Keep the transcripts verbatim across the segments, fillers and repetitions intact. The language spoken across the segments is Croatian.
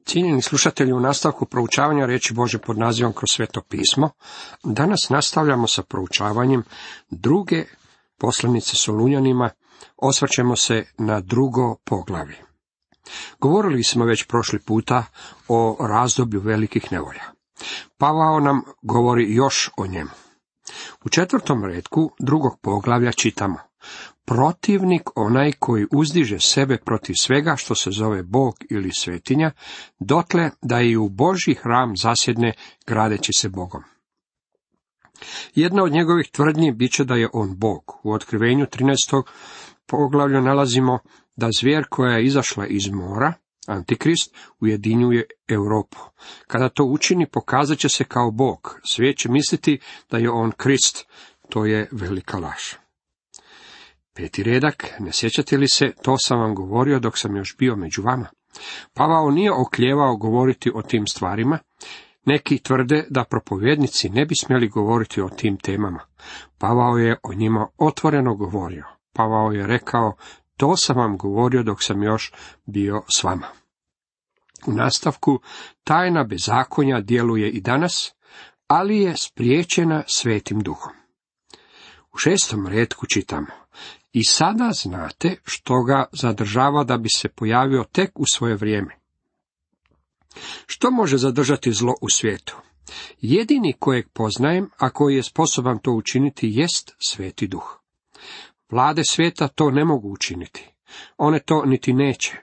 Cijenjeni slušatelji, u nastavku proučavanja riječi Božje pod nazivom Kroz sveto pismo, danas nastavljamo sa proučavanjem druge poslanice Solunjanima, osvrćemo se na drugo poglavlje. Govorili smo već prošli puta o razdoblju velikih nevolja. Pavao nam govori još o njemu. U četvrtom retku drugog poglavlja čitamo: protivnik onaj koji uzdiže sebe protiv svega što se zove Bog ili svetinja, dotle da i u Božji hram zasjedne gradeći se Bogom. Jedna od njegovih tvrdnji bit će da je on Bog. U Otkrivenju trinaestog poglavlju nalazimo da zvijer koja je izašla iz mora, Antikrist, ujedinjuje Europu. Kada to učini, pokazat će se kao Bog. Svijet će misliti da je on Krist. To je velika laž. Peti redak, ne sjećate li se, to sam vam govorio dok sam još bio među vama. Pavao nije oklijevao govoriti o tim stvarima. Neki tvrde da propovjednici ne bi smjeli govoriti o tim temama. Pavao je o njima otvoreno govorio. Pavao je rekao: to sam vam govorio dok sam još bio s vama. U nastavku, tajna bezakonja djeluje i danas, ali je spriječena Svetim Duhom. U šestom retku čitamo: i sada znate što ga zadržava da bi se pojavio tek u svoje vrijeme. Što može zadržati zlo u svijetu? Jedini kojeg poznajem, a koji je sposoban to učiniti, jest Sveti Duh. Vlade svijeta to ne mogu učiniti. One to niti neće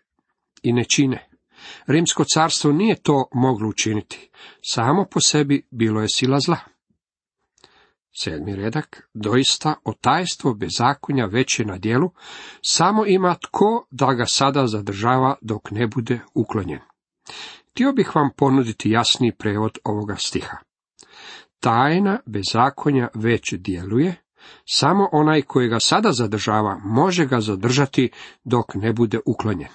i ne čine. Rimsko carstvo nije to moglo učiniti. Samo po sebi bilo je sila zla. Sedmi redak, doista otajstvo bezakonja već je na djelu, samo ima tko da ga sada zadržava dok ne bude uklonjen. Htio bih vam ponuditi jasniji prevod ovoga stiha. Tajna bezakonja već djeluje, samo onaj koji ga sada zadržava može ga zadržati dok ne bude uklonjen.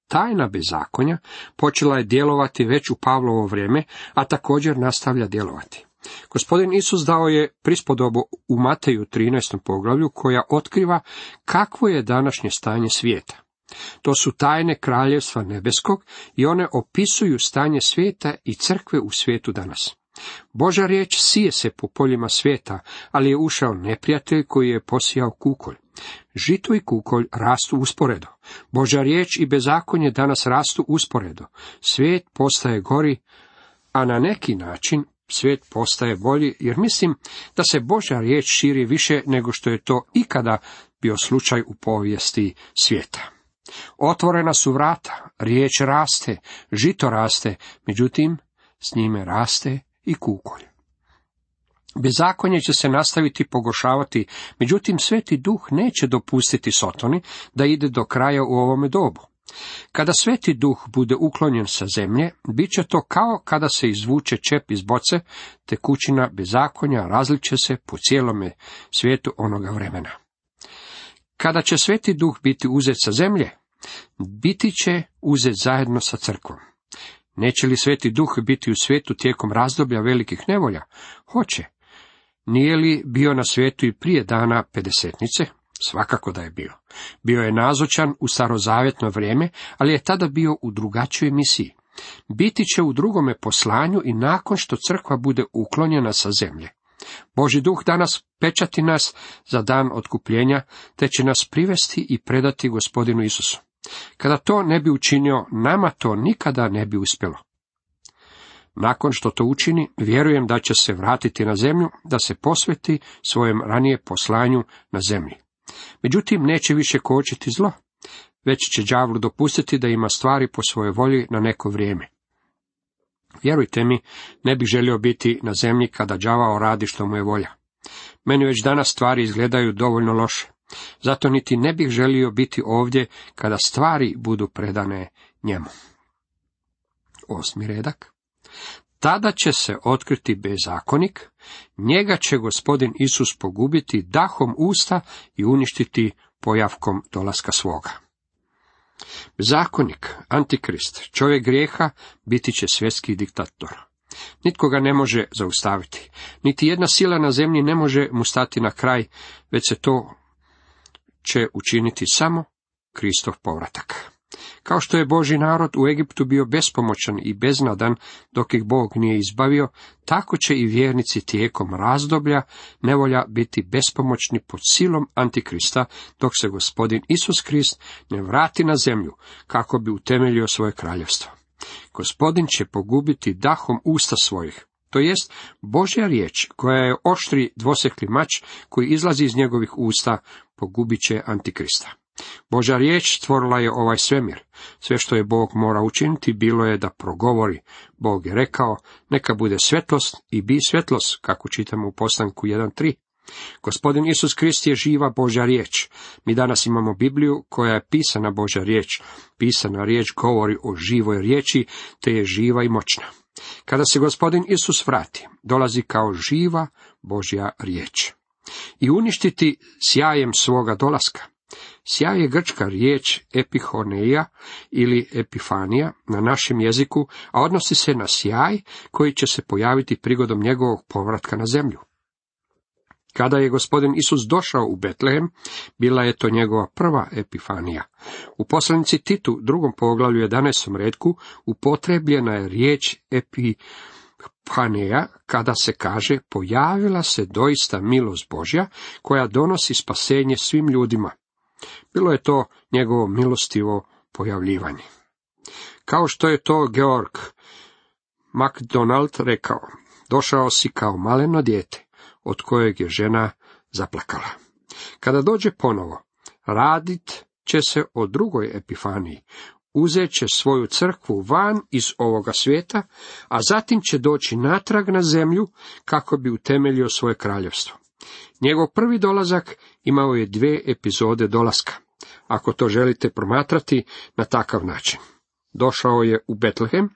Tajna bezakonja počela je djelovati već u Pavlovo vrijeme, a također nastavlja djelovati. Gospodin Isus dao je prispodobu u Mateju trinaestom poglavlju koja otkriva kakvo je današnje stanje svijeta. To su tajne kraljevstva nebeskog i one opisuju stanje svijeta i crkve u svijetu danas. Božja riječ sije se po poljima svijeta, ali je ušao neprijatelj koji je posijao kukolj. Žito i kukolj rastu usporedo. Božja riječ i bezakonje danas rastu usporedo. Svijet postaje gori, a na neki način svijet postaje bolji, jer mislim da se Božja riječ širi više nego što je to ikada bio slučaj u povijesti svijeta. Otvorena su vrata, riječ raste, žito raste, međutim, s njime raste i kukolj. Bezakonje će se nastaviti pogoršavati, međutim, Sveti Duh neće dopustiti Sotoni da ide do kraja u ovome dobu. Kada Sveti Duh bude uklonjen sa zemlje, bit će to kao kada se izvuče čep iz boce, tekućina bezakonja različe se po cijelome svijetu onoga vremena. Kada će Sveti Duh biti uzet sa zemlje, biti će uzet zajedno sa crkvom. Neće li Sveti Duh biti u svijetu tijekom razdoblja velikih nevolja? Hoće. Nije li bio na svijetu i prije dana pedesetnice? Svakako da je bio. Bio je nazočan u starozavjetno vrijeme, ali je tada bio u drugačijoj misiji. Biti će u drugome poslanju i nakon što crkva bude uklonjena sa zemlje. Božji Duh danas pečati nas za dan otkupljenja, te će nas privesti i predati Gospodinu Isusu. Kada to ne bi učinio, nama to nikada ne bi uspjelo. Nakon što to učini, vjerujem da će se vratiti na zemlju, da se posveti svojem ranije poslanju na zemlji. Međutim, neće više kočiti zlo, već će đavlu dopustiti da ima stvari po svojoj volji na neko vrijeme. Vjerujte mi, ne bih želio biti na zemlji kada đavao radi što mu je volja. Meni već danas stvari izgledaju dovoljno loše. Zato niti ne bih želio biti ovdje kada stvari budu predane njemu. Osmi redak. Tada će se otkriti bezakonik, njega će Gospodin Isus pogubiti dahom usta i uništiti pojavkom dolaska svoga. Bezakonik, Antikrist, čovjek grijeha, biti će svjetski diktator. Nitko ga ne može zaustaviti. Niti jedna sila na zemlji ne može mu stati na kraj, već se to će učiniti samo Kristov povratak. Kao što je Božji narod u Egiptu bio bespomoćan i beznadan dok ih Bog nije izbavio, tako će i vjernici tijekom razdoblja nevolja biti bespomoćni pod silom Antikrista, dok se Gospodin Isus Krist ne vrati na zemlju kako bi utemeljio svoje kraljevstvo. Gospodin će pogubiti dahom usta svojih, to jest Božja riječ, koja je oštri dvosjekli mač koji izlazi iz njegovih usta, pogubit će Antikrista. Božja riječ stvorila je ovaj svemir. Sve što je Bog mora učiniti bilo je da progovori. Bog je rekao, neka bude svjetlost i bi svjetlost, kako čitamo u Postanku jedan tri. Gospodin Isus Krist je živa Božja riječ. Mi danas imamo Bibliju koja je pisana Božja riječ. Pisana riječ govori o živoj riječi, te je živa i moćna. Kada se Gospodin Isus vrati, dolazi kao živa Božja riječ i uništiti sjajem svoga dolaska. Sjaj je grčka riječ epihoneia ili epifanija na našem jeziku, a odnosi se na sjaj koji će se pojaviti prigodom njegovog povratka na zemlju. Kada je Gospodin Isus došao u Betlehem, bila je to njegova prva epifanija. U poslanici Titu, drugom poglavlju jedanaestom retku, upotrebljena je riječ epifanija, kada se kaže, pojavila se doista milost Božja, koja donosi spasenje svim ljudima. Bilo je to njegovo milostivo pojavljivanje. Kao što je to Georg MacDonald rekao, došao si kao maleno dijete, od kojeg je žena zaplakala. Kada dođe ponovo, radit će se o drugoj epifaniji, uzet će svoju crkvu van iz ovoga svijeta, a zatim će doći natrag na zemlju kako bi utemeljio svoje kraljevstvo. Njegov prvi dolazak imao je dvije epizode dolaska, ako to želite promatrati na takav način. Došao je u Betlehem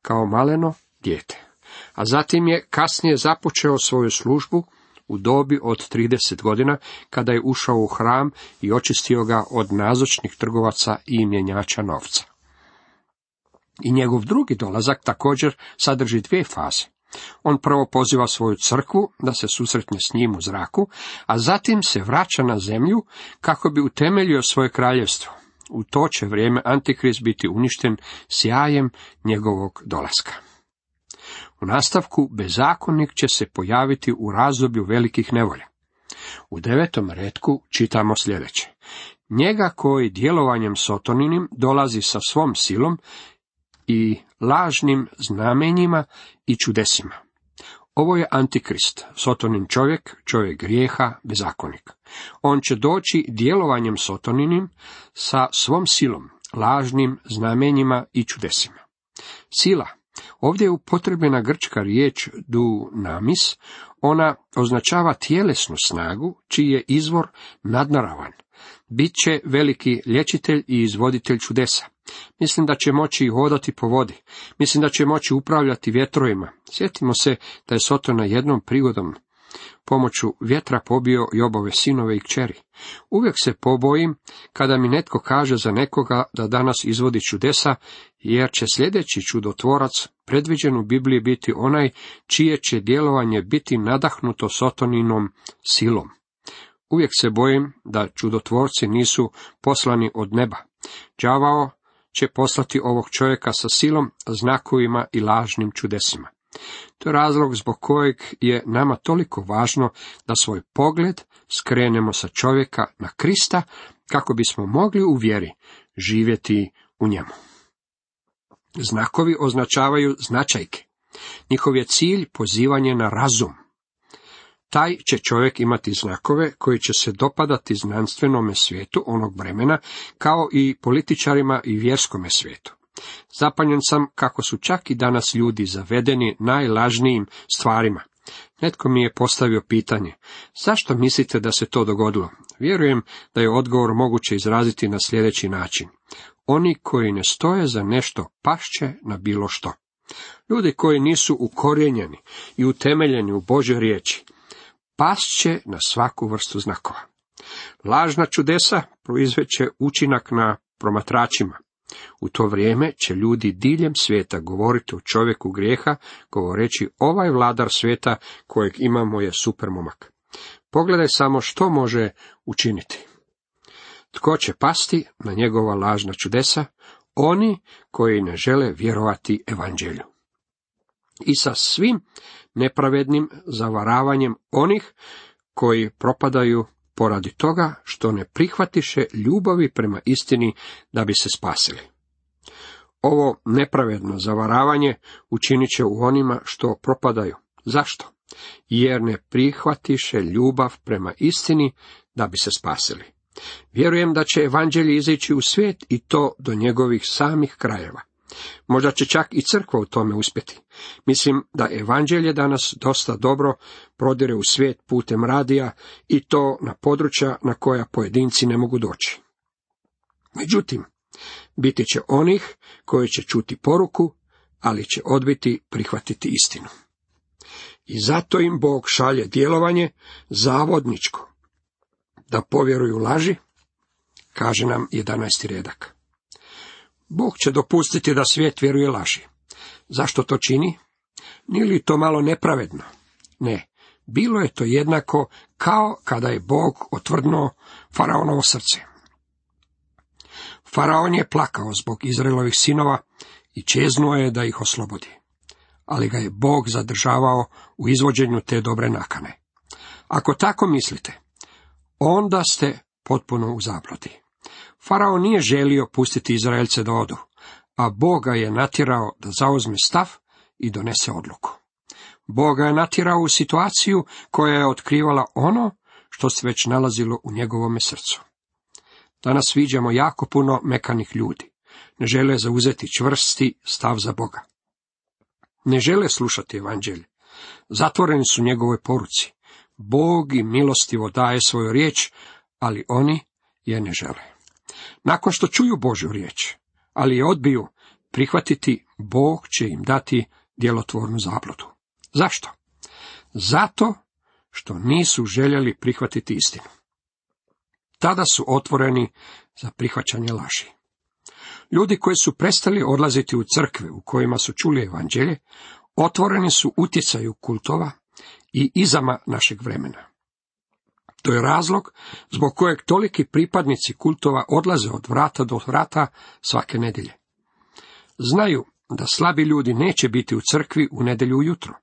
kao maleno dijete, a zatim je kasnije započeo svoju službu u dobi od trideset godina, kada je ušao u hram i očistio ga od nazočnih trgovaca i mjenjača novca. I njegov drugi dolazak također sadrži dvije faze. On prvo poziva svoju crkvu da se susretne s njim u zraku, a zatim se vraća na zemlju kako bi utemeljio svoje kraljevstvo. U to će vrijeme Antikrist biti uništen sjajem njegovog dolaska. U nastavku bezakonnik će se pojaviti u razdoblju velikih nevolja. U devetom retku čitamo sljedeće. Njega koji djelovanjem sotoninim dolazi sa svom silom i lažnim znamenjima i čudesima. Ovo je Antikrist, sotonin čovjek, čovjek grijeha, bezakonik. On će doći djelovanjem sotoninim sa svom silom, lažnim znamenjima i čudesima. Sila. Ovdje je upotrebljena grčka riječ dunamis, ona označava tjelesnu snagu, čiji je izvor nadnaravan. Biće veliki liječitelj i izvoditelj čudesa. Mislim da će moći hodati po vodi. Mislim da će moći upravljati vjetrovima. Sjetimo se da je Sotona jednom prigodom pomoću vjetra pobio Jobove sinove i kćeri. Uvijek se pobojim kada mi netko kaže za nekoga da danas izvodi čudesa, jer će sljedeći čudotvorac predviđen u Bibliji biti onaj čije će djelovanje biti nadahnuto Sotoninom silom. Uvijek se bojim da čudotvorci nisu poslani od neba. Đavao će poslati ovog čovjeka sa silom, znakovima i lažnim čudesima. To je razlog zbog kojeg je nama toliko važno da svoj pogled skrenemo sa čovjeka na Krista, kako bismo mogli u vjeri živjeti u njemu. Znakovi označavaju značajke. Njihov je cilj pozivanje na razum. Taj će čovjek imati znakove koji će se dopadati znanstvenome svijetu onog vremena, kao i političarima i vjerskome svijetu. Zapanjen sam kako su čak i danas ljudi zavedeni najlažnijim stvarima. Netko mi je postavio pitanje, zašto mislite da se to dogodilo? Vjerujem da je odgovor moguće izraziti na sljedeći način. Oni koji ne stoje za nešto pašće na bilo što. Ljudi koji nisu ukorijenjeni i utemeljeni u Božoj riječi, pasće na svaku vrstu znakova. Lažna čudesa proizveće učinak na promatračima. U to vrijeme će ljudi diljem svijeta govoriti o čovjeku grijeha, govoreći ovaj vladar svijeta kojeg imamo je supermomak. Pogledaj samo što može učiniti. Tko će pasti na njegova lažna čudesa? oni koji ne žele vjerovati evanđelju. I sa svim nepravednim zavaravanjem onih koji propadaju poradi toga što ne prihvatiše ljubavi prema istini da bi se spasili. Ovo nepravedno zavaravanje učinit će u onima što propadaju. Zašto? Jer ne prihvatiše ljubav prema istini da bi se spasili. Vjerujem da će evanđelje izići u svijet i to do njegovih samih krajeva. Možda će čak i crkva u tome uspjeti. Mislim da evanđelje danas dosta dobro prodire u svijet putem radija i to na područja na koja pojedinci ne mogu doći. Međutim, biti će onih koji će čuti poruku, ali će odbiti prihvatiti istinu. I zato im Bog šalje djelovanje zavodničko, da povjeruju laži, kaže nam jedanaesti redak. Bog će dopustiti da svijet vjeruje laži. Zašto to čini? Nije li to malo nepravedno? Ne, bilo je to jednako kao kada je Bog otvrdnuo faraonovo srce. Faraon je plakao zbog Izraelovih sinova i čeznuo je da ih oslobodi. Ali ga je Bog zadržavao u izvođenju te dobre nakane. Ako tako mislite, onda ste potpuno u zabludi. Faraon nije želio pustiti Izraelce da odu, a Bog ga je natjerao da zauzme stav i donese odluku. Bog ga je natjerao u situaciju koja je otkrivala ono što se već nalazilo u njegovome srcu. Danas viđamo jako puno mekanih ljudi. Ne žele zauzeti čvrsti stav za Boga. Ne žele slušati evanđelje. Zatvoreni su njegovoj poruci. Bog im milostivo daje svoju riječ, ali oni je ne žele. Nakon što čuju Božju riječ, ali je odbiju prihvatiti, Bog će im dati djelotvornu zabludu. Zašto? Zato što nisu željeli prihvatiti istinu. Tada su otvoreni za prihvaćanje laži. Ljudi koji su prestali odlaziti u crkve u kojima su čuli evanđelje, otvoreni su utjecaju kultova i izama našeg vremena. To je razlog zbog kojeg toliki pripadnici kultova odlaze od vrata do vrata svake nedjelje. Znaju da slabi ljudi neće biti u crkvi u nedjelju ujutro.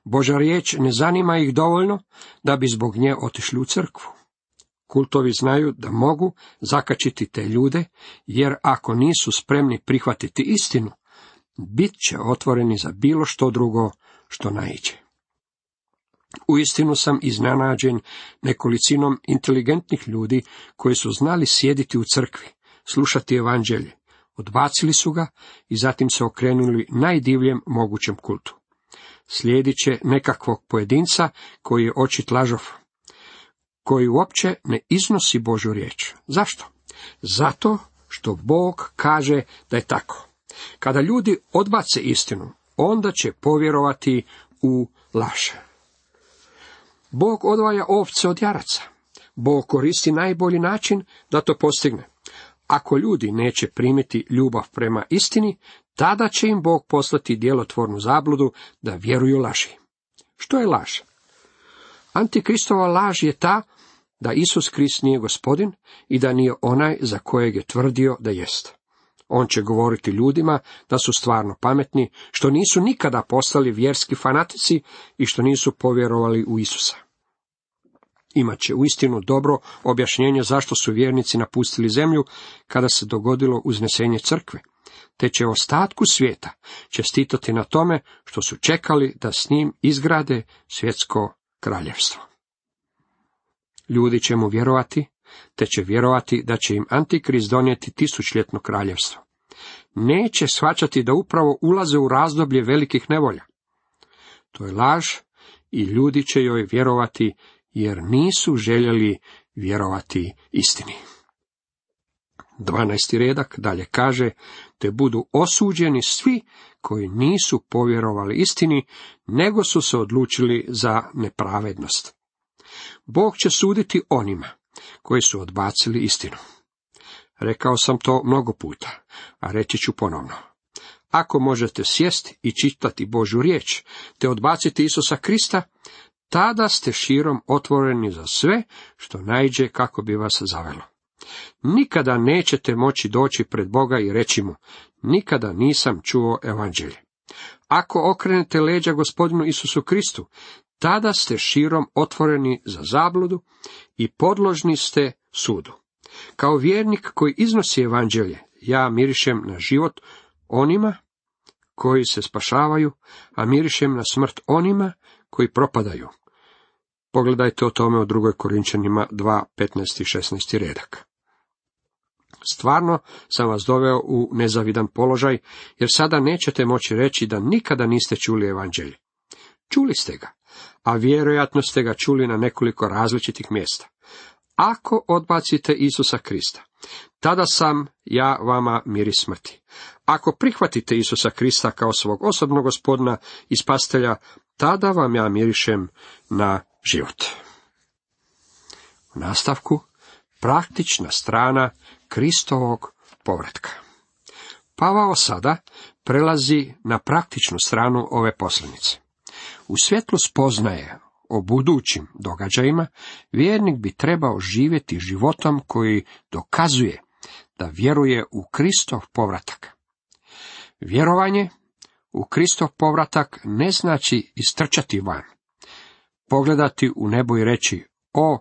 Božja riječ ne zanima ih dovoljno da bi zbog nje otišli u crkvu. Kultovi znaju da mogu zakačiti te ljude, jer ako nisu spremni prihvatiti istinu, bit će otvoreni za bilo što drugo što naiđe. Uistinu sam iznenađen nekolicinom inteligentnih ljudi koji su znali sjediti u crkvi, slušati evanđelje, odbacili su ga i zatim se okrenuli najdivljem mogućem kultu. Slijedit će nekakvog pojedinca koji je očit lažov, koji uopće ne iznosi Božju riječ. Zašto? Zato što Bog kaže da je tako. Kada ljudi odbace istinu, onda će povjerovati u laž. Bog odvaja ovce od jaraca. Bog koristi najbolji način da to postigne. Ako ljudi neće primiti ljubav prema istini, tada će im Bog poslati djelotvornu zabludu da vjeruju laži. Što je laž? Antikristova laž je ta da Isus Krist nije gospodin i da nije onaj za kojeg je tvrdio da jest. On će govoriti ljudima da su stvarno pametni, što nisu nikada postali vjerski fanatici i što nisu povjerovali u Isusa. Imaće uistinu dobro objašnjenje zašto su vjernici napustili zemlju kada se dogodilo uznesenje crkve, te će ostatku svijeta čestitati na tome što su čekali da s njim izgrade svjetsko kraljevstvo. Ljudi će mu vjerovati, te će vjerovati da će im Antikrist donijeti tisućljetno kraljevstvo. Neće shvaćati da upravo ulaze u razdoblje velikih nevolja. To je laž i ljudi će joj vjerovati jer nisu željeli vjerovati istini. dvanaesti redak dalje kaže, te budu osuđeni svi koji nisu povjerovali istini, nego su se odlučili za nepravednost. Bog će suditi onima koji su odbacili istinu. Rekao sam to mnogo puta, a reći ću ponovno. Ako možete sjesti i čitati Božju riječ, te odbaciti Isusa Krista, tada ste širom otvoreni za sve što naiđe kako bi vas zavelo. Nikada nećete moći doći pred Boga i reći mu, nikada nisam čuo evanđelje. Ako okrenete leđa Gospodinu Isusu Kristu, tada ste širom otvoreni za zabludu i podložni ste sudu. Kao vjernik koji iznosi evanđelje, ja mirišem na život onima koji se spašavaju, a mirišem na smrt onima koji propadaju. Pogledajte o tome u drugoj Korinčanima dva, petnaest i šesnaest redak. Stvarno sam vas doveo u nezavidan položaj, jer sada nećete moći reći da nikada niste čuli evanđelje. Čuli ste ga, a vjerojatno ste ga čuli na nekoliko različitih mjesta. Ako odbacite Isusa Krista, tada sam ja vama miris smrti. Ako prihvatite Isusa Krista kao svog osobnog gospodina i spasitelja, tada vam ja mirišem na život. U nastavku, praktična strana Kristovog povratka. Pavao sada prelazi na praktičnu stranu ove poslanice. U svjetlu spoznaje o budućim događajima, vjernik bi trebao živjeti životom koji dokazuje da vjeruje u Kristov povratak. Vjerovanje u Kristov povratak ne znači istrčati van, pogledati u nebo i reći, o,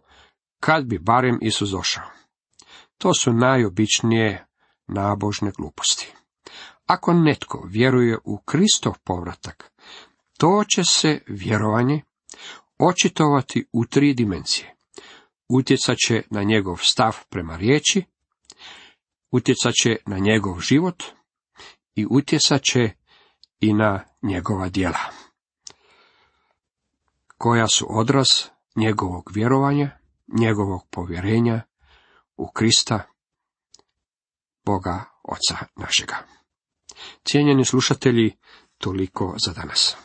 kad bi barem Isus došao. To su najobičnije nabožne gluposti. Ako netko vjeruje u Kristov povratak, to će se vjerovanje očitovati u tri dimenzije. Utjecat će na njegov stav prema riječi, utjecat će na njegov život i utjecat će i na njegova djela, koja su odraz njegovog vjerovanja, njegovog povjerenja u Krista, Boga Oca našega. Cijenjeni slušatelji, toliko za danas.